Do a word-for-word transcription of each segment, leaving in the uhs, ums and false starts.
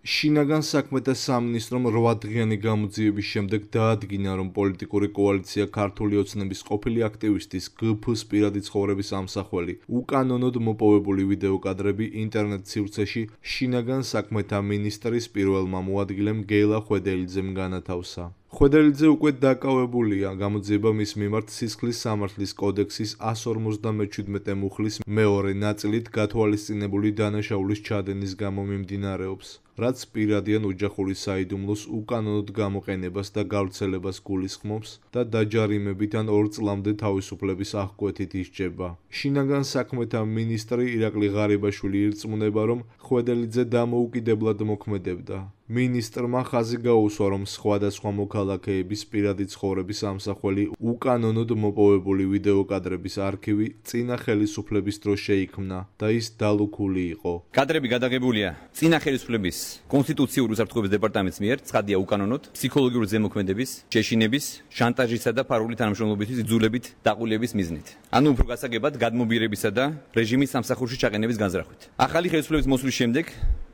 შინაგან საქმეთა სამინისტრომ რვადღიანი გამოძიების შემდეგ დაადგინა, რომ პოლიტიკური კოალიცია ქართული ოცნების ყოფილი აქტივისტის გ ფ-ს პირადი ცხოვრების ამსახველი უკანონოდ მოპოვებული ვიდეო კადრები ინტერნეტ სივრცეში შინაგან საქმეთა მინისტრის პირველმა მოადგილემ გელა ხვედელიძემ განათავსა. ხვედელიძე უკვე დაკავებულია გამოძიება მის მიმართ სისხლის სამართლის კოდექსის εκατს ორმოცდამეჩვიდმეტე მუხლის მეორე ნაწილით გათვალისწინებული დანაშაულის ჩადენის გამო მიმდინარეობს, რაც პირადიან ოჯახური საიდუმლოს უკანონოდ გამოყენებას და გავრცელებას გულისხმობს და დაჯარიმებით ან ორ წლამდე თავისუფლების აღკვეთით ისჯება. შინაგან საქმეთა მინისტრი ირაკლი ღარიბაშვილი ირწმუნება, რომ ხვედელიძე დამოუკიდებლად მოქმედებდა. მინისტრმა ხაზი გაუსვა, რომ სხვადასხვა მოქალაქეების პირადი ცხოვრების ამსახველი უკანონოდ მოპოვებული ვიდეო კადრების არქივი წინა ხელისუფლების დროს შეიქმნა და ის დალუქული იყო. კადრები გადაღებულია წინა ხელისუფლების კონსტიტუციური უსაფრთხოების დეპარტამენტის მიერ ცხადია უკანონოდ ფსიქოლოგიური ზემოქმედების, შეშინების, შანტაჟისა და ფარული თანამშრომლობისთვის იძულებით დაყოლების მიზნით. ანუ უფრო გასაგებად გადმობირებისა და რეჟიმის სამსახურში ჩაყენების განზრახვით. ახალი ხელისუფლების მოსვლის შემდეგ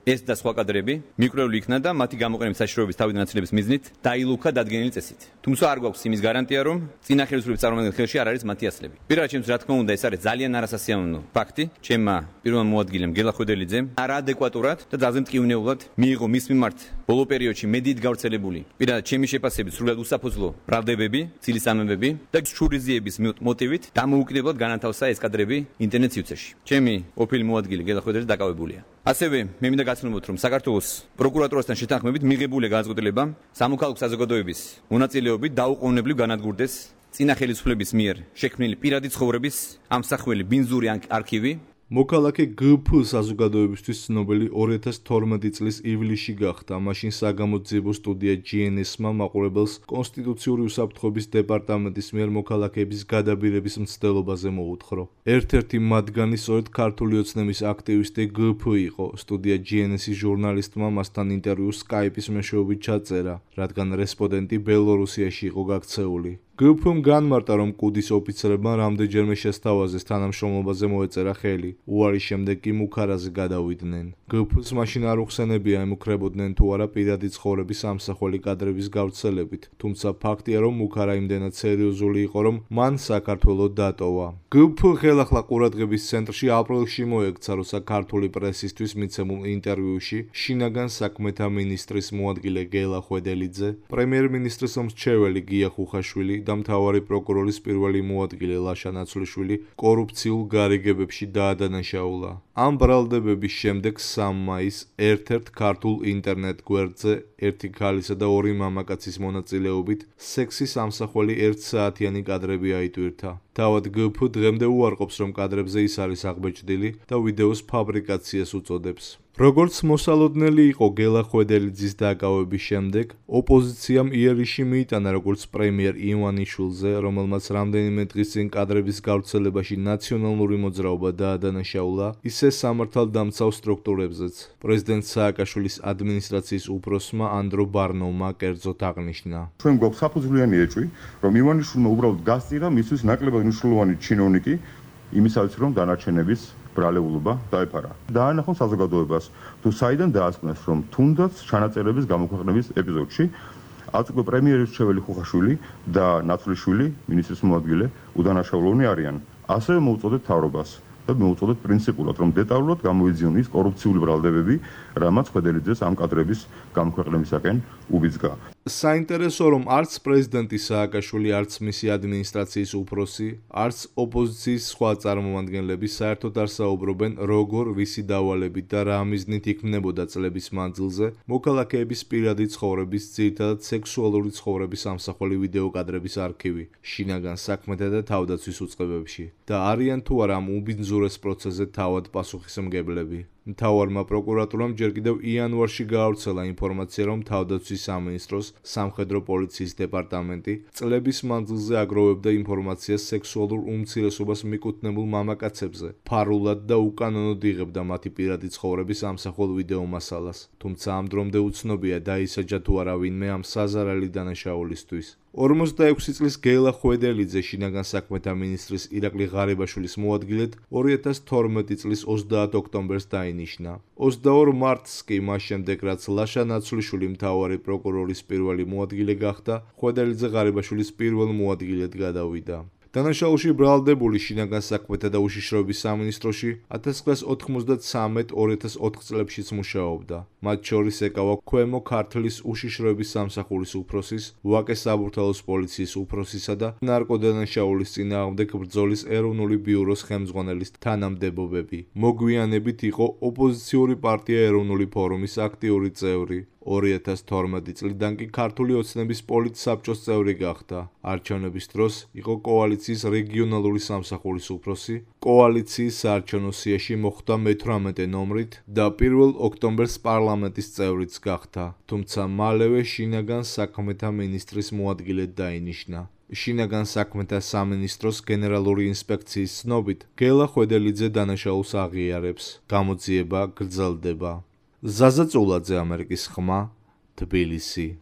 ეს და სხვა კადრები მიკვლეული იქნა და მათი გამოყენების საშიშროების თავიდან აცილების მიზნით დაილუქა დადგენილი წესით. თუმცა არ გვაქვს იმის გარანტია, რომ წინა ხელისუფლების წარმომადგენლის ხელში არ არის მათი ასლები. პირველად ჩემთვის რა თქმა უნდა ეს არის ძალიან არასასიამოვნო ფაქტი. ჩემმა პირველმა მოადგილემ გელა ხვედელიძემ არაადეკვატურად და ძალზე მტკივნეულად მიიღო მის მიმართ ბოლო პერიოდში მედიით გავრცელებული პირადად ჩემი შეფასებით სრულად უსაფუძვლო ბრალდებები, ცილისამებები და შურიზიების მოტივით დამოუკიდებლად განათავსა ეს კადრები ინტერნეტ სივრცეში. ჩემი ყოფილი მოადგილე გელა ხვედელიძე დაკავებულია. ასევე მე მინდა გაცნობოთ, რომ საქართველოს პროკურატურასთან შეთანხმებით მიღებული განწყობილება სამოქალაქო საზოგადოების მონაწილეობით დაუყოვნებლივ განადგურდეს წინა ხელისუფლების მიერ შექმნილი პირადი ცხოვრების ამსახველი ბინძური არქივი. მოქალაქე გ ფ საზოგადოებისთვის ცნობილი ორი ათას თორმეტი წლის ივლისში გახდა. მაშინ საგამოძიებო სტუდია ჯი εν ეს-მა მაყურებელს კონსტიტუციური უსაფრთხოების დეპარტამენტის მიერ მოქალაქეების გადაბირების მცდელობაზე მოუთხრო. ერთ-ერთი მათგანი სწორედ ქართული ოცნების აქტივისტი გ ფ იყო. სტუდია ჯი εν ეს-ის ჟურნალისტმა მასთან ინტერვიუს სკაიპის მეშვეობით ჩაწერა, რადგან რესპონდენტი ბელორუსიაში იყო გაქცეული. გ ფ-მ განმარტა, რომ კუდის ოფიცრებმა რამდენჯერმე შესთავაზეს თანამშრომლობაზე მოეწერა ხელი, უარის შემდეგ კი მუქარაზე გადავიდნენ. გ ფ-ს მაშინ არ უხსენებია ემუქრებოდნენ თუ არა პირადი ცხოვრების ამსახველი კადრების გავრცელებით, თუმცა ფაქტია, რომ მუქარა იმდენად სერიოზული იყო, რომ მან საქართველო დატოვა. გ ფ ხელახლა ყურადღების ცენტრში აპრილში მოექცა, როცა ქართული პრესისთვის მიცემულ ინტერვიუში შინაგან საქმეთა მინისტრის მოადგილე გელა ხვედელიძე, პრემიერ-მინისტრის მრჩეველი გია ხუხაშვილი და მთავარი პროკურორის პირველი მოადგილე ლაშა ნაცვლიშვილი კორუფციულ გარიგებებში დაადანაშაულა. ამ ბრალდებების შემდეგ სამი მაისს ერთ-ერთ ქართულ ინტერნეტ გვერდზე ერთი ქალისა და ორი მამაკაცის მონაწილეობით სექსის ამსახველი ერთსაათიანი კადრები აიტვირთა. თავად გ ფ დღემდე უარყოფს, რომ კადრებზე ის არის აღბეჭდილი და ვიდეოს ფაბრიკაციას უწოდებს. როგორც მოსალოდნელი იყო გელა ხვედელიძის დაკავების შემდეგ, ოპოზიციამ იერიში მიიტანა როგორც პრემიერ ივანიშვილზე, რომელმაც რამდენიმე დღის წინ კადრების გავრცელებაში ნაციონალური მოძრაობა დაადანაშაულა, ისე სამართალდამცავ სტრუქტურებზეც. პრეზიდენტ სააკაშვილის ადმინისტრაციის უფროსმა ანდრო ბარნოვმა კერძოდ აღნიშნა. ჩვენ გვაქვს საფუძვლიანი ეჭვი, რომ ივანიშვილმა უბრალოდ გასწირა მისთვის ნაკლებად მნიშვნელოვანი ჩინოვნიკი იმისათვის, რომ დანარჩენების ბრალეულობა დაეფარა. დაანახონ საზოგადოებას, თუ საიდან დაასკვნეს, რომ თუნდაც ჩანაწერების გამოქვეყნების ეპიზოდში არც უკვე პრემიერის მრჩეველი ხუხაშვილი და ნაცვლიშვილი, მინისტრის მოადგილე, უდანაშაულოვანი არიან. ასევე მოუწოდეთ მთავრობას და მოუწოდეთ პრინციპულად, რომ დეტალურად გამოიძიონ ის კორუფციული ბრალდებები, რამაც ხვედელიძეს ამ კადრების გამოქვეყნებისაკენ უბიძგა. საინტერესო, რომ არც პრეზიდენტი სააკაშვილი, არც მისი ადმინისტრაციის უფროსი, არც ოპოზიციის სხვა წარმომადგენლები საერთოდ არ საუბრობენ, როგორ, ვისი დავალებით და რა მიზნით იქმნებოდა წლების მანძილზე მოქალაქეების პირადი ცხოვრების, ძირითადად სექსუალური ცხოვრების ამსახველი ვიდეო კადრების არქივი შინაგან საქმეთა და თავდაცვის უწყებებში და არიან თუ არა ამ უბინძურეს პროცესზე თავად პასუხისმგებლები. მთავარმა პროკურატურამ ჯერ კიდევ იანვარში გაავრცელა ინფორმაცია, რომ თავდაცვის სამინისტროს სამხედრო პოლიციის დეპარტამენტი წლების მანძილზე აგროვებდა ინფორმაციას სექსუალურ უმცირესობას მიკუთვნებულ მამაკაცებზე, ფარულად და უკანონოდ იღებდა მათი პირადი ცხოვრების ამსახველ ვიდეო მასალას. თუმცა ამ დრომდე უცნობია, დაისაჯა თუ არა ვინმე ამ საზარალი დანაშაულისთვის. ორმოცდაექვსი წლის გელა ხვედელიძე შინაგან საქმეთა მინისტრის ირაკლი ღარიბაშვილის მოადგილედ ორი ათას თორმეტი წლის ოცდაათ ოქტომბერს დაინიშნა. ოცდაორ მარტს კი მას შემდეგ რაც ლაშა ნაცვლიშვილი მთავარი პროკურორის პირველი მოადგილე გახდა, ხვედელიძე ღარიბაშვილის პირველ მოადგილედ გადავიდა. დანაშაულში ბრალდებული შინაგან საქმეთა და უშიშროების სამინისტროში ათას ცხრაას ოთხმოცდათსამეტ ორი ათას ოთხ წლებშიც მუშაობდა. მათ შორის ეკავა ქვემო ქართლის უშიშროების სამსახურის უფროსის, ვაკე საბურთალოს პოლიციის უფროსისა და ნარკოდანაშაულის წინააღმდეგ ბრძოლის ეროვნული ბიუროს ხელმძღვანელის თანამდებობები. მოგვიანებით იყო ოპოზიციური პარტია ეროვნული ფორუმის აქტიური წევრი. ორი ათას თორმეტი წლიდან კი ქართული ოცნების პოლიტსაბჭოს წევრი გახდა. არჩევნების დროს იყო კოალიციის რეგიონალური სამსახურის უფროსი, კოალიციის საარჩევნო სიაში მოხვდა მეთვრამეტე ნომრით და პირველ ოქტომბერს პარლამენტის წევრიც გახდა, თუმცა მალევე შინაგან საქმეთა მინისტრის მოადგილედ დაინიშნა. შინაგან საქმეთა სამინისტროს გენერალური ინსპექციის ცნობით, გელა ხვედელიძე დანაშაულს აღიარებს. გამოძიება გრძელდება. ზაზა წულაძე, ამერიკის ხმა, თბილისი.